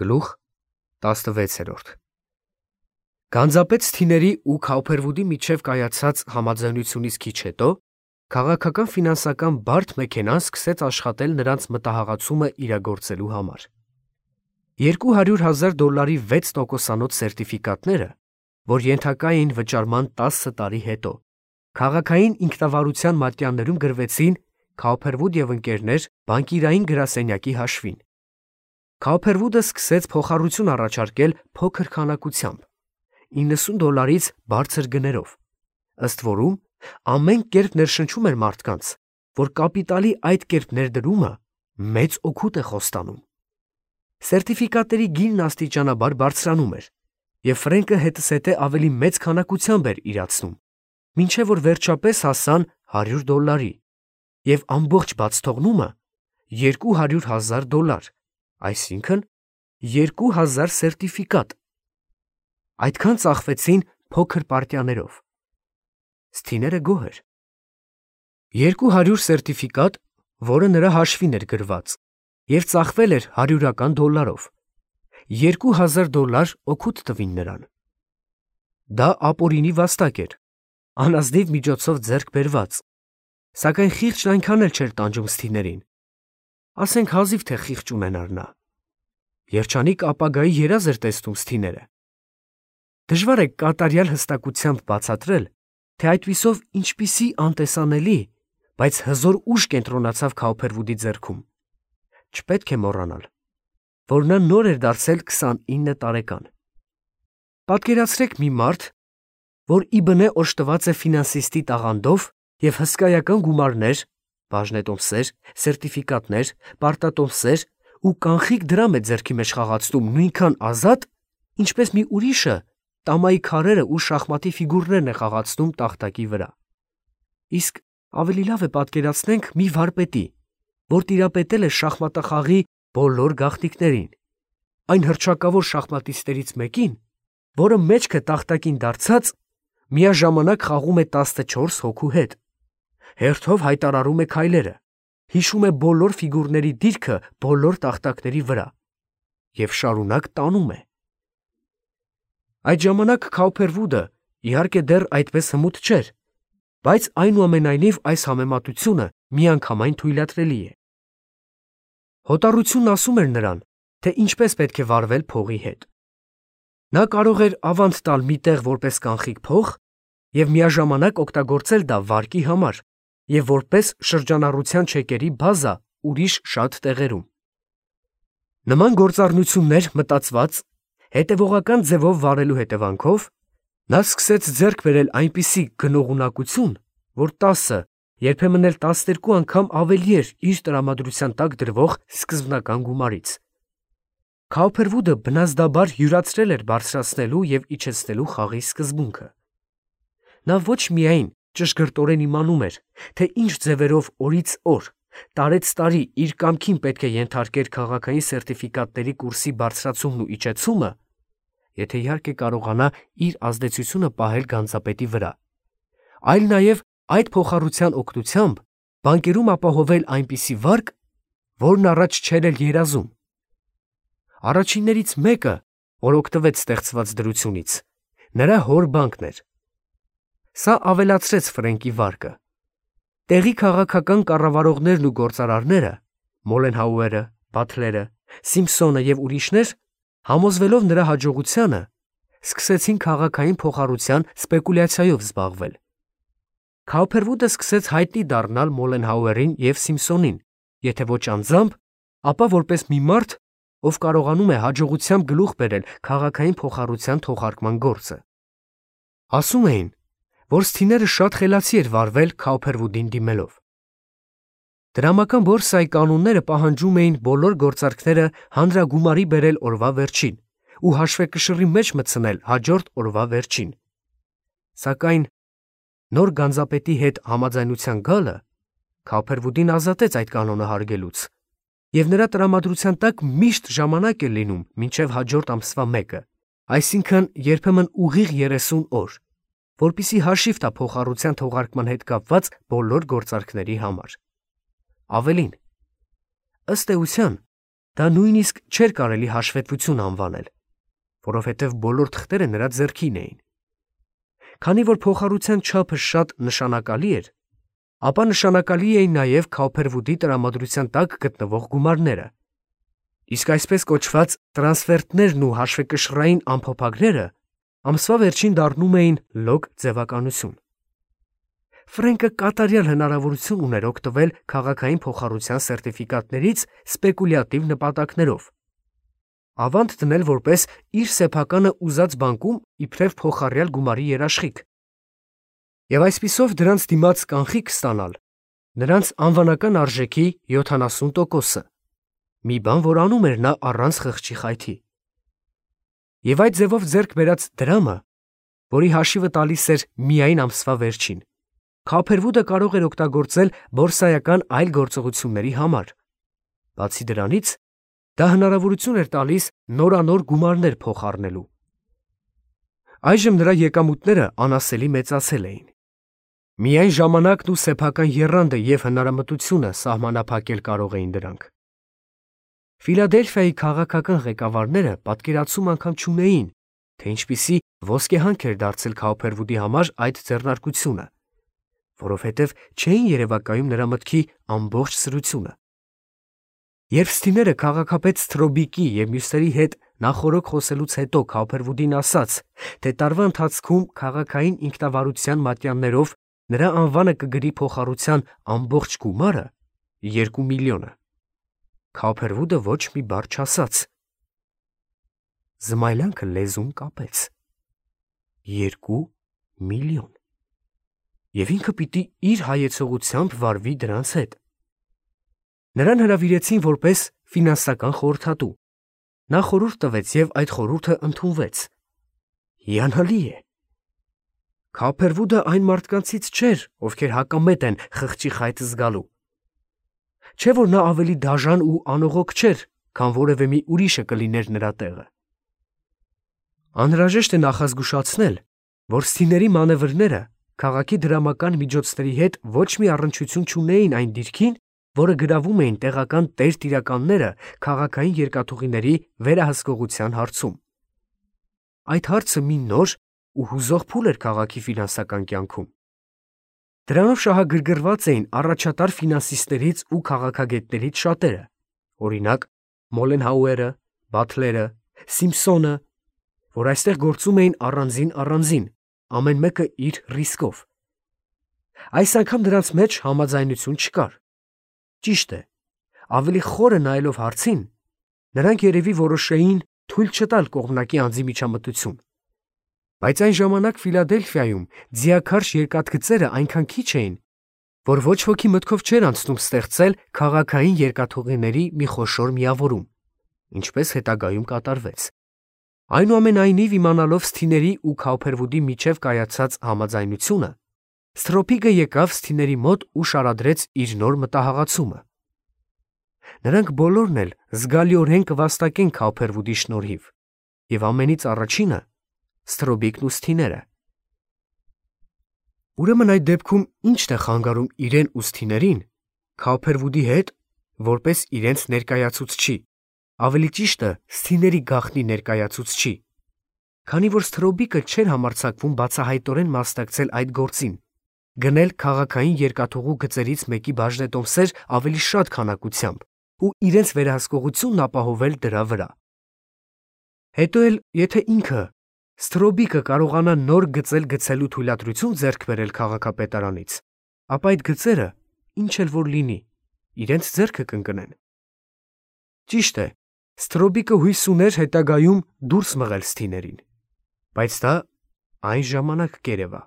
Գլուխ 16 Գանձապետ Սթիների ու Քաուփերվուդի միջև կայացած համաձայնությունից քիչ հետո քաղաքական ֆինանսական բարդ մեքենան սկսեց աշխատել նրանց մտահղացումը իրագործելու համար։ $200,000 $6 սերտիֆիկատները, որ ենթակա էին վճարման 10 տարի հետո, քաղաքային ինքնավարության մատյաններում գրվեցին Քաուփերվուդ և ընկերներ բանկիրային գրասենյակի հաշվին։ Քաուփերվուդը սկսեց փոխառություն առաջարկել փոքր քանակությամբ, $90 բարձր գներով, ըստ որում ամեն կերպ ներշնչում էր մարդկանց, որ կապիտալի այդ կերպ ներդրումը մեծ օգուտ է խոստանում։ Սերտիֆիկատների գինն աստիճանաբար բարձրանում էր, և Ֆրենկը հետզհետե ավելի մեծ քանակությամբ էր իրացնում, մինչև որ վերջապես հասան $100, և ամբողջ բացթողնումը $200,000, այսինքն 2000 սերտիֆիկատ։ Այդքան ծախվեցին փոքր պարտիաներով։ Սթիները գոհ էր։ 200 սերտիֆիկատ, որը նրա հաշվին էր գրված, և ծախվել էր $100-ով, $2000 օգուտ տվին նրան։ Դա ապօրինի վաստակ էր, անազնիվ միջոցով ձեռք բերված, սակայն խիղճն այնքան էլ չէր տանջում Սթիներին, ասենք հազիվ թե խիղճ ունենար նա։ Երջանիկ ապագայի երազ էր տեսնում Սթիները։ Դժվար է կատարյալ հստակությամբ բացատրել, թե այդպիսով ինչպիսի անտեսանելի, բայց հզոր ուժ կենտրոնացավ Քաուփերվուդի ձեռքում։ Չպետք է մոռանալ, որ նա նոր էր դարձել 29 տարեկան։ Պատկերացրեք մի մարդ, որ իբնե օժտված է ֆինանսիստի տաղանդով և հսկայական գումարներ, բաժնետոմսեր, սերտիֆիկատներ, պարտատոմսեր ու կանխիկ դրամ է ձեռքի մեջ խաղացնում նույնքան ազատ, ինչպես մի ուրիշը տամայի քարերը ու շախմատի ֆիգուրներն է խաղացնում տախտակի վրա։ Իսկ ավելի լավ է պատկերացնենք մի վարպետի, որ տիրապետել է շախմատախաղի բոլոր գաղտնիքներին, այն հռչակավոր շախմատիստներից մեկին, որը մեջքը տախտակին դարձած միաժամանակ խաղում է 14 հոգու հետ, հերթով հայտարարում է քայլերը, հիշում է բոլոր ֆիգուրների դիրքը բոլոր տախտակների վրա և շարունակ տանում է։ Այդ ժամանակ Քաուփերվուդը իհարկե դեռ այդպես հմուտ չէր, բայց այնուամենայնիվ այս համեմատությունը միանգամայն թույլատրելի է։ Հոտառությունն ասում էր նրան, թե ինչպես պետք է վարվել փողի հետ։ Նա կարող էր ավանդ տալ մի տեղ որպես կանխիկ փող և միաժամանակ օգտագործել դա վարկի համար և որպես շրջանառության չեկերի բազա ուրիշ շատ տեղերում։ Նման գործառնություններ մտածված, հետևողական ձևով վարելու հետևանքով նա սկսեց ձեռք բերել այնպիսի գնողունակություն, որ 10, երբեմն էլ 12 անգամ ավելի էր իր տրամադրության տակ դրվող սկզբնական գումարից։ Քաուփերվուդը բնազդաբար յուրացրել էր բարձրացնելու և իջեցնելու խաղի սկզբունքը։ Նա ոչ միայն ճշգրտորեն իմանում էր, թե ինչ ձևերով օրից օր, տարեց տարի իր կամքին պետք է ենթարկեր քաղաքային սերտիֆիկատների կուրսի բարձրացումն ու իջեցումը, եթե իհարկե կարողանա իր ազդեցությունը պահել գանձապետի վրա, այլ նաև այդ փոխառության օգնությամբ բանկերում ապահովել այնպիսի վարկ, որն առաջ չէր էլ երազում։ Առաջիններից մեկը, որ օգտվեց ստեղծված դրությունից, նրա հոր բանկն էր։ Սա ավելացրեց Ֆրենկի վարկը։ Տեղի քաղաքական կառավարողներն ու գործարարները, Մոլենհաուերը, Բաթլերը, Սիմփսոնը և ուրիշներ, համոզվելով նրա հաջողությանը, սկսեցին քաղաքային փոխառության սպեկուլյացիայով զբաղվել։ Քաուփերվուդը սկսեց հայտնի դառնալ Մոլենհաուերին և Սիմփսոնին, եթե ոչ անձամբ, ապա որպես մի մարդ, ով կարողանում է հաջողությամբ գլուխ բերել քաղաքային փոխառության թողարկման գործը։ Ասում էին, որ Սթիները շատ խելացի էր վարվել Քաուփերվուդին դիմելով։ Դրամական բորսայի կանոնները պահանջում էին բոլոր գործարքները հանրագումարի բերել օրվա վերջին ու հաշվեկշռի մեջ մտցնել հաջորդ օրվա վերջին։ Սակայն նոր գանձապետի հետ համաձայնության գալը Քաուփերվուդին ազատեց այդ կանոնը հարգելուց, և նրա տրամադրության տակ միշտ ժամանակ էր լինում մինչև հաջորդ ամսվա 1-ը, այսինքն երբեմն ուղիղ 30 օր, որպեսզի հաշիվ տա փոխառության թողարկման հետ կապված բոլոր գործարքների համար։ Ավելին, ըստ էության, դա նույնիսկ չէր կարելի հաշվետվություն անվանել, որովհետև բոլոր թղթերը նրա ձեռքին էին։ Քանի որ փոխառության չափը շատ նշանակալի էր, ապա նշանակալի էին նաև Քաուփերվուդի տրամադրության տակ գտնվող գումարները։ Իսկ այսպես կոչված տրանսֆերտներն ու հաշվեկշռային ամփոփագրերը ամսվա վերջին դառնում էին լոգ ձևականություն։ Ֆրենկը կատարյալ հնարավորություն ուներ օգտվել քաղաքային փոխառության սերտիֆիկատներից սպեկուլյատիվ նպատակներով, ավանդ դնել որպես իր սեփականը ուզած բանկում իբրև փոխառյալ գումարի երաշխիք, եւ այսպիսով դրանց դիմաց կանխիկ ստանալ նրանց անվանական արժեքի 70%-ը, մի բան, որ անում էր նա առանց խղճի խայթի։ Եվ այդ ձևով ձեռք բերած դրամը, որի հաշիվը տալիս էր միայն ամսվա վերջին, Քաուփերվուդը կարող էր օգտագործել բորսայական այլ գործողությունների համար։ Բացի դրանից, դա հնարավորություն էր տալիս նորանոր գումարներ փոխառնելու։ Այժմ նրա եկամուտները անասելի մեծացել էին։ Միայն ժամանակն ու սեփական եռանդը և հնարամտությունը սահմանափակել կարող էին դրանք։ Ֆիլադելֆիայի քաղաքական ղեկավարները պատկերացում անգամ չունեին, թե ինչպիսի ոսկեհանք էր դարձել Քաուփերվուդի համար այդ ձեռնարկությունը, որովհետև չէին երևակայում նրա մտքի ամբողջ սրությունը։ Երբ Սթիները քաղաքապետ Սթրոբիկի և մյուսների հետ նախօրոք խոսելուց հետո Քաուփերվուդին ասաց, թե տարվա ընթացքում քաղաքային ինքնավարության մատյաններով նրա անվանը կգրի փոխառության ամբողջ գումարը 2 միլիոնը, Քաուփերվուդը ոչ մի բառ չասաց։ Զմայլյանքը լեզուն կապեց։ 2 միլիոն։ Եվ ինքը պիտի իր հայեցողությամբ վարվի դրանց հետ։ Նրան հրավիրեցին որպես ֆինանսական խորհրդատու։ Նա խորհուրդ տվեց և այդ խորհուրդը ընդունվեց։ Հիանալի է։ Քաուփերվուդը այն մարդկանցից չէր, ովքեր հակամետ են խղճի խայթ զգալու։ Չէ որ նա ավելի դաժան ու անողոք չէր, քան որևէ մի ուրիշը կլիներ նրա տեղը։ Անհրաժեշտ է նախազգուշացնել, որ Սթիների մանևրները քաղաքի դրամական միջոցների հետ ոչ մի առնչություն չունեին այն դիրքին, որը գրավում էին տեղական տերտիրականները քաղաքային երկաթուղիների վերահսկողության հարցում։ Այդ հարցը մի նոր ու հուզող փուլ էր քաղաքի ֆինանսական կյանքում։ Դրանով շահագրգռված էին առաջատար ֆինանսիստներից ու քաղաքագետներից շատերը, օրինակ Մոլենհաուերը, Բաթլերը, Սիմփսոնը, որ այստեղ գործում էին առանձին, ամեն մեկը իր ռիսկով։ Այս անգամ դրանց մեջ համաձայնություն չկար։ Ճիշտ է, ավելի խորը նայելով հարցին, նրանք երևի որոշեին թույլ չտալ կողմնակի անձի միջամտություն։ Բայց այն ժամանակ Ֆիլադելֆիայում ձիաքարշ երկաթգծերը այնքան քիչ էին, որ ոչ ոքի մտքով չէր անցնում ստեղծել քաղաքային երկաթուղիների մի խոշոր միավորում, ինչպես հետագայում կատարվեց։ Այնուամենայնիվ, իմանալով Սթիների ու Քաուփերվուդի միջև կայացած համաձայնությունը, Սթրոփիկը եկավ Սթիների մոտ ու շարադրեց իր նոր մտահղացումը։ Նրանք բոլորն էլ զգալիորեն կվաստակեն Քաուփերվուդի շնորհիվ, և ամենից առաջինը Սթրոբիկն ու Սթիները։ Ուրեմն այդ դեպքում ի՞նչն է խանգարում իրեն ու Սթիներին Քաուփերվուդի հետ որպես իրենց ներկայացուցչի, ավելի ճիշտը Սթիների գաղտնի ներկայացուցչի, քանի որ Սթրոբիկը չէր համարձակվում բացահայտորեն մասնակցել այդ գործին, գնել քաղաքային երկաթուղու գծերից մեկի բաժնետոմսեր ավելի շատ քանակությամբ ու իրենց վերահսկողությունն ապահովել դրա վրա։ Հետո էլ, եթե ինքը Սթրոբիկը կարողանա նոր գծեր գցելու թույլատրություն ձեռք բերել քաղաքապետարանից, ապա այդ գծերը, ինչ էլ որ լինի, իրենց ձեռքը կընկնեն։ Ճիշտ է, Սթրոբիկը հույս ուներ հետագայում դուրս մղել Սթիներին, բայց դա այն ժամանակ կերևա։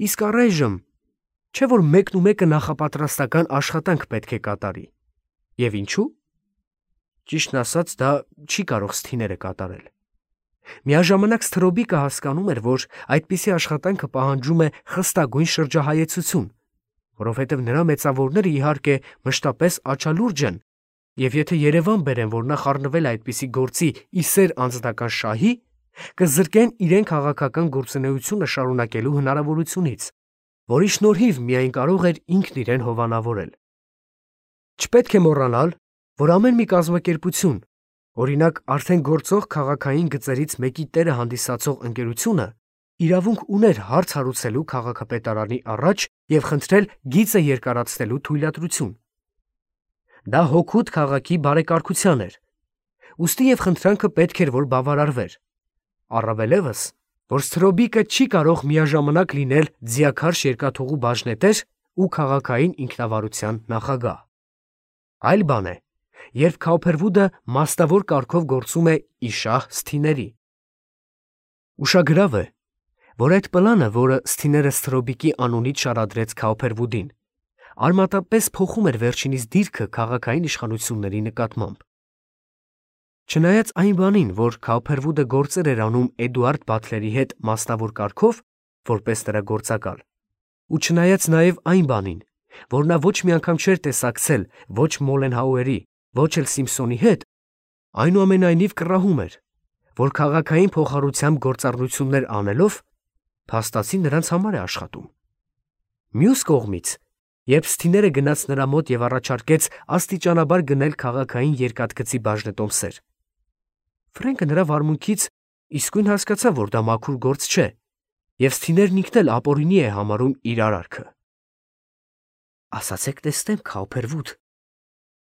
Իսկ առայժմ, չէ որ մեկն ու մեկը նախապատրաստական աշխատանք պետք է կատարի։ Եվ ինչու՞։ Ճիշտն ասած, դա չի կարող Սթիները կատարել։ Միաժամանակ Սթրոբիկը հասկանում էր, որ այդպիսի աշխատանքը պահանջում է խստագույն շրջահայեցություն, որովհետև նրա մեծավորները իհարկե մշտապես աչալուրջ են, և եթե Երևան բերեն, որ նա խառնվել է այդպիսի գործի ի սեր անձնական շահի, կզրկեն իրեն քաղաքական գործունեությունը շարունակելու հնարավորությունից, որի շնորհիվ միայն կարող էր ինքն իրեն հովանավորել։ Չպետք է մոռանալ, որ ամեն մի կազմակերպություն, օրինակ արդեն գործող քաղաքային գծերից մեկի տերը հանդիսացող ընկերությունը, իրավունք ուներ հարց հարուցելու քաղաքապետարանի առաջ և խնդրել գիծը երկարացնելու թույլատրություն։ Դա հօգուտ քաղաքի բարեկարգության էր, ուստի և խնդրանքը պետք էր, որ բավարարվեր։ Առավելևս, որ Ստրոբիկը չի կարող միաժամանակ լինել ձիաքարշ երկաթուղու բաժնետեր ու քաղաքային ինքնավարության նախագահ։ Այլ բան է, երբ Քաուփերվուդը մաստավոր կարգով գործում է իշահ Սթիների։ Ուշագրավ է, որ այդ պլանը, որը Սթիները Ստրոբիկի անունից շարադրեց Քաուփերվուդին, արմատապես փոխում էր վերջինիս դիրքը քաղաքային իշխանությունների նկատմամբ։ Չնայած այն բանին, որ Քաուփերվուդը գործեր էր անում Էդուարդ Բաթլերի հետ մաստավոր կարգով, որպես նրա գործակալ, ու չնայած նաև այն բանին, որ նա ոչ մի անգամ չէր տեսակցել ոչ Մոլենհաուերի, ոչ էլ Սիմփսոնի հետ, այնուամենայնիվ կռահում էր, որ քաղաքային փոխառությամբ գործառնություններ անելով փաստացի նրանց համար է աշխատում։ Մյուս կողմից, երբ Սթիները գնաց նրա մոտ և առաջարկեց աստիճանաբար գնել քաղաքային երկաթգծի բաժնետոմսեր, Ֆրենկը նրա վարմունքից իսկույն հասկացավ, որ դա մաքուր գործ չէ, և Սթիներն ինքն էլ ապօրինի է համարում իր արարքը։ «Ասացեք տեսնեմ, Քաուփերվուդ»,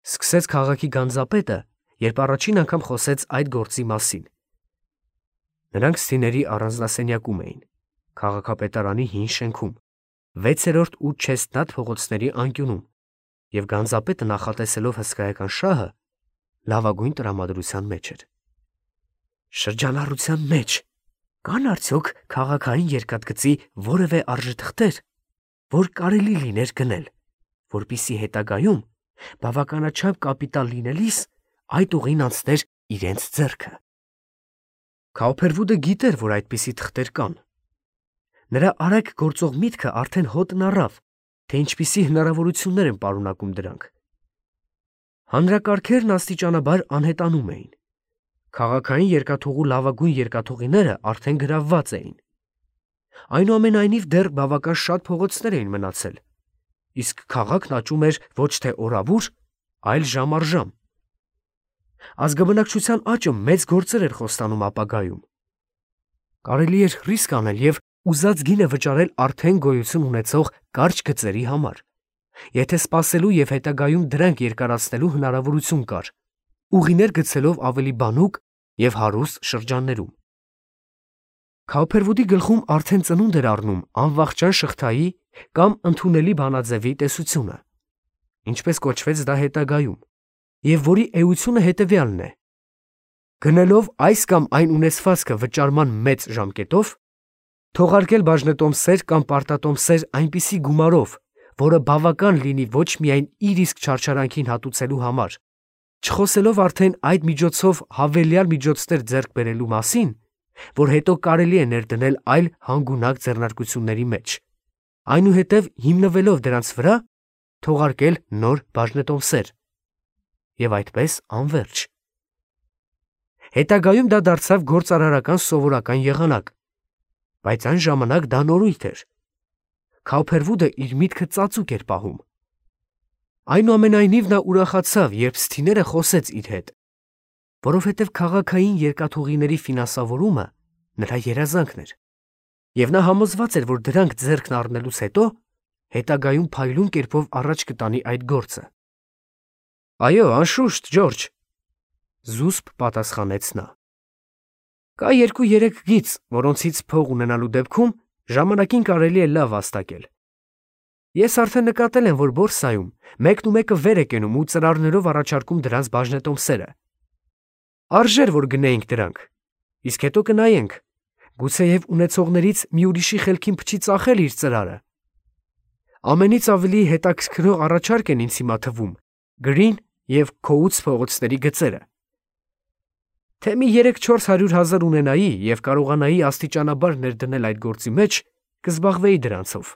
սկսեց քաղաքի գանձապետը, երբ առաջին անգամ խոսեց այդ գործի մասին։ Նրանք Սթիների առանձնասենյակում էին, քաղաքապետարանի հին շենքում, 6-րդ ու Չեստնատ փողոցների անկյունում, և գանձապետը նախատեսելով հսկայական շահը, լավագույն տրամադրության մեջ էր։ Շրջանառության մեջ կան արդյոք քաղաքային երկաթգծի որևէ արժեթղթեր, որ կարելի լիներ գնել, որպեսզի հետագայում բավականաչափ կապիտալ լինելիս այդ ուղին անցներ իրենց ձեռքը։ Քաուփերվուդը գիտեր, որ այդպիսի թղթեր կան։ Նրա արագ գործող միտքը արդեն հոտն առավ, թե ինչպիսի հնարավորություններ են պարունակում դրանք։ Հանրակարգերն աստիճանաբար անհետանում էին։ Քաղաքային երկաթուղու լավագույն երկաթուղիները արդեն գրավված էին։ Այնուամենայնիվ դեռ բավական շատ փողոցներ էին մնացել, իսկ քաղաքն աճում էր ոչ թե օրավուր, այլ ժամ առ ժամ։ Ազգաբնակչության աճը մեծ գործեր էր խոստանում ապագայում։ Կարելի էր ռիսկ անել և ուզած գինը վճարել արդեն գոյություն ունեցող կարճ գծերի համար, եթե սպասելու և հետագայում դրանք երկարացնելու հնարավորություն կար, ուղիներ գցելով ավելի բանուկ և հարուստ շրջաններում։ Քաուփերվուդի գլխում արդեն ծնունդ էր առնում անվախճան շղթայի կամ ընդունելի բանաձևի տեսությունը, ինչպես կոչվեց դա հետագայում, և որի էությունը հետևյալն է. գնելով այս կամ այն ունեցվածքը վճարման մեծ ժամկետով, թողարկել բաժնետոմսեր կամ պարտատոմսեր այնպիսի գումարով, որը բավական լինի ոչ միայն իր իսկ չարչարանքին հատուցելու համար, չխոսելով արդեն այդ միջոցով հավելյալ միջոցներ ձեռք բերելու մասին, որ հետո կարելի է ներդնել այլ հանգունակ ձեռնարկությունների մեջ, այնուհետև հիմնվելով դրանց վրա, թողարկել նոր բաժնետոմսեր, և այդպես անվերջ։ Հետագայում դա դարձավ գործարարական սովորական եղանակ, բայց այն ժամանակ դա նորույթ էր։ Քաուփերվուդը իր միտքը ծածուկ էր պահում։ Այնուամենայնիվ նա ուրախացավ, երբ Սթիները խոսեց իր հետ, որովհետև քաղաքային երկաթուղիների ֆինանսավորումը նրա երազանքն էր, և նա համոզված էր, որ դրանք ձեռքն առնելուց հետո հետագայում փայլուն կերպով առաջ կտանի այդ գործը։ Այո, անշուշտ, Ջորջ, զուսպ պատասխանեց նա։ Կա 2-3 գիծ, որոնցից փող ունենալու դեպքում ժամանակին կարելի է լավ վաստակել։ Ես արդեն նկատել եմ, որ բորսայում մեկնումեկը վեր է կենում ու ծրարներով առաջարկում դրանց բաժնետոմսերը։ Արժեր, որ գնեինք դրանք, իսկ հետո կնայենք, գուցեև ունեցողներից մի ուրիշի խելքին փչի ծախել իր ծրարը։ Ամենից ավելի հետաքրքրող առաջարկ են ինձ հիմա թվում Գրին և Քոուց փողոցների գծերը։ Թե մի 300-400 հազար ունենայի և կարողանայի աստիճանաբար ներդնել այդ գործի մեջ, կզբաղվեի դրանցով։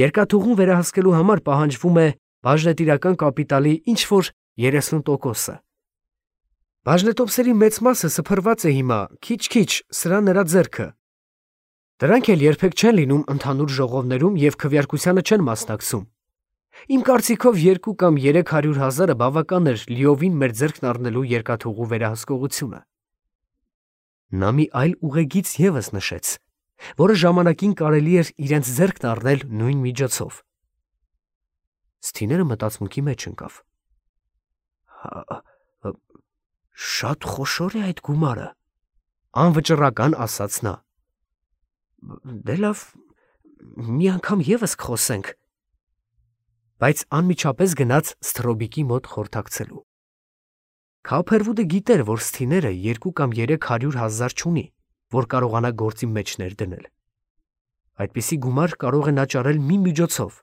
Երկաթուղուն վերահսկելու համար պահանջվում է բաժնետիրական կապիտալի ինչ-որ 30%-ը։ Բաժնետոմսերի մեծ մասը սփռված է հիմա, քիչ-քիչ, սրա նրա ձեռքը։ Դրանք էլ երբեք չեն լինում ընդհանուր ժողովներում և քվեարկությանը չեն մասնակցում։ Իմ կարծիքով 2 կամ 300,000-ը բավական էր լիովին մեր ձեռքն առնելու երկաթուղու վերահսկողությունը։ Նա մի այլ ուղեգիծ ևս նշեց, որը ժամանակին կարելի էր իրենց ձեռքն առնել նույն միջոցով։ Սթիները մտածմունքի մեջ ընկավ։ Շատ խոշոր է այդ գումարը, անվճռական ասաց նա։ Դե լավ, մի անգամ ևս կխոսենք։ Բայց անմիջապես գնաց Սթրոբիկի մոտ խորհրդակցելու։ Քափերվուդը գիտեր, որ Սթիները 2 կամ 300,000 չունի, որ կարողանա գործի մեջ ներդնել։ Այդպիսի գումար կարող է նա ճարել մի միջոցով,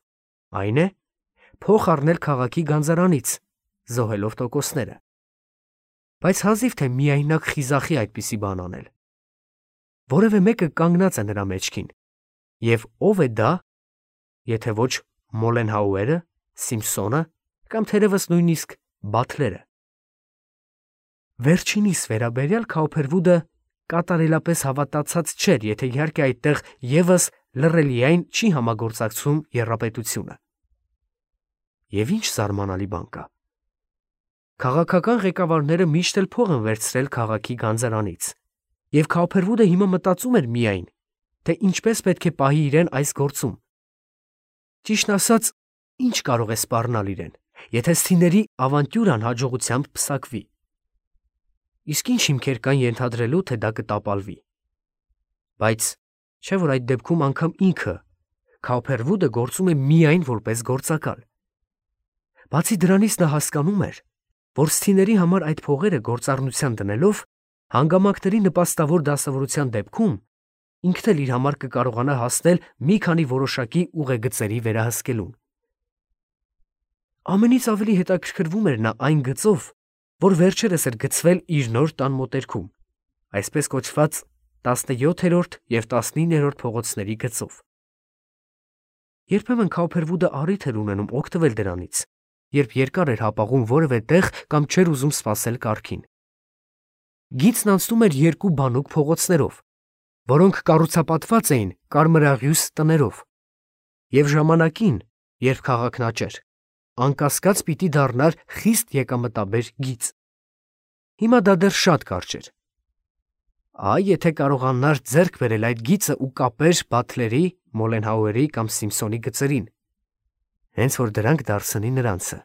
այն է, փող առնել քաղաքի գանձարանից, զոհելով տոկոսները։ Բայց հազիվ թե միայնակ խիզախի այդպիսի բան անել։ Որևէ մեկը կանգնած է նրա մեջքին, եւ ով է դա, եթե ոչ Մոլենհաուերը, Սիմփսոնը կամ թերևս նույնիսկ Բաթլերը։ Վերջինիս վերաբերյալ Քաուփերվուդը կատարելապես հավատացած չէր, եթե իհարկե այդտեղ ևս լռելիային չի համագործակցում եռապետությունը։ Եվ ինչ զարմանալի բան կա։ Քաղաքական ղեկավարները միշտ էլ փող են վերցրել քաղաքի գանձարանից, եւ Քաուփերվուդը հիմա մտածում էր միայն, թե ինչպես պետք է պահի իրեն այս գործում։ Ճիշտն ասած, ինչ կարող է սպառնալ իրեն, եթե Սթիների ավանտյուրան հաջողությամբ պսակվի։ Իսկ ինչ հիմքեր կան ենթադրելու, թե դա կտապալվի։ Բայց չէ՞ որ այդ դեպքում անգամ ինքը Քաուփերվուդը գործում է միայն որպես գործակալ։ Բացի դրանից նա հասկանում էր, որ Սթիների համար այդ փողերը գործառնության դնելով հանգամանքների նպաստավոր դասավորության դեպքում ինքն էլ իր համար կկարողանա հասնել մի քանի որոշակի ուղեգծերի վերահսկելուն։ Ամենից ավելի հետաքրքրվում էր նա այն գծով, որ վերջերս էր գծվել իր նոր տան մոտերքում, այսպես կոչված 17-րդ և 19-րդ փողոցների գծով։ Երբեմն Քաուփերվուդը առիթ էր ունենում օգտվել դրանից, երբ երկար էր հապաղում որևէ տեղ կամ չէր ուզում սպասել կառքին։ Գիծն անցնում էր 2 բանուկ փողոցներով, որոնք կառուցապատված էին կարմրաղյուս տներով, և ժամանակին, երբ քաղաքն աճեր, անկասկած պիտի դառնար խիստ եկամտաբեր գիծ։ Հիմա դա դեռ շատ կարճ էր։ Այ եթե կարողանար ձեռք բերել այդ գիծը ու կապեր Բաթլերի, Մոլենհաուերի կամ Սիմփսոնի գծերին, հենց որ դրանք դարձնի նրանցը։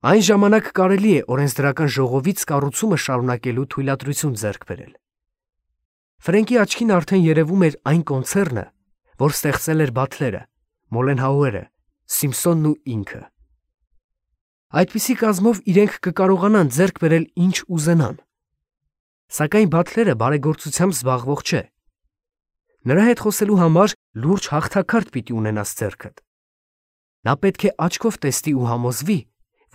Այն ժամանակ կարելի է օրենսդրական ժողովից կառուցումը շարունակելու թույլատրություն ձեռք բերել։ Ֆրենկի աչքին արդեն երևում էր այն կոնցեռնը, որ ստեղծել էր Բաթլերը, Մոլենհաուերը, Սիմփսոնն ու ինքը։ Այդպիսի կազմով իրենք կկարողանան ձեռք բերել ինչ ուզենան։ Սակայն Բաթլերը բարեգործությամբ զբաղվող չէ։ Նրա հետ խոսելու համար լուրջ հաղթաքարտ պիտի ունենաս ձեռքդ։ Նա պետք է աչքով տեսնի ու համոզվի,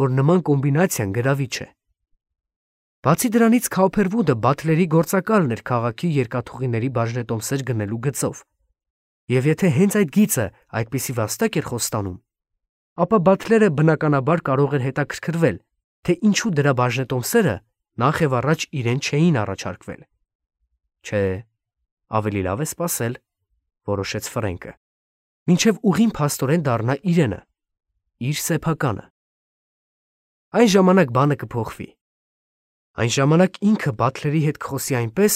որ նման կոմբինացիան գրավիչ է։ Բացի դրանից Քաուփերվուդը Բաթլերի գործակալն էր քաղաքի երկաթուղիների բաժնետոմսեր գնելու գծով, եւ եթե հենց այդ գիծը այդպիսի վաստակ էր խոստանում, ապա Բաթլերը բնականաբար կարող էր հետաքրքրվել, թե ինչու դրա բաժնետոմսերը նախ եւ առաջ իրեն չէին առաջարկվել։ Չէ, ավելի լավ է սպասել, որոշեց Ֆրենկը, մինչև ուղին փաստորեն դառնա իրենը, իր սեփականը։ Այն ժամանակ բանը կփոխվի։ Այն ժամանակ ինքը Բաթլերի հետ կխոսի այնպես,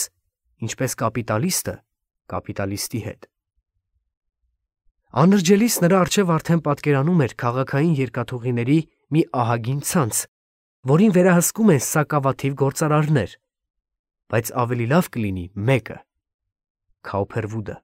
ինչպես կապիտալիստը կապիտալիստի հետ։ Անրջելիս նրա առջև արդեն պատկերանում էր քաղաքային երկաթուղիների մի ահագին ցանց, որին վերահսկում են սակավաթիվ գործարարներ, բայց ավելի լավ կլինի մեկը՝ Քաուփերվուդը։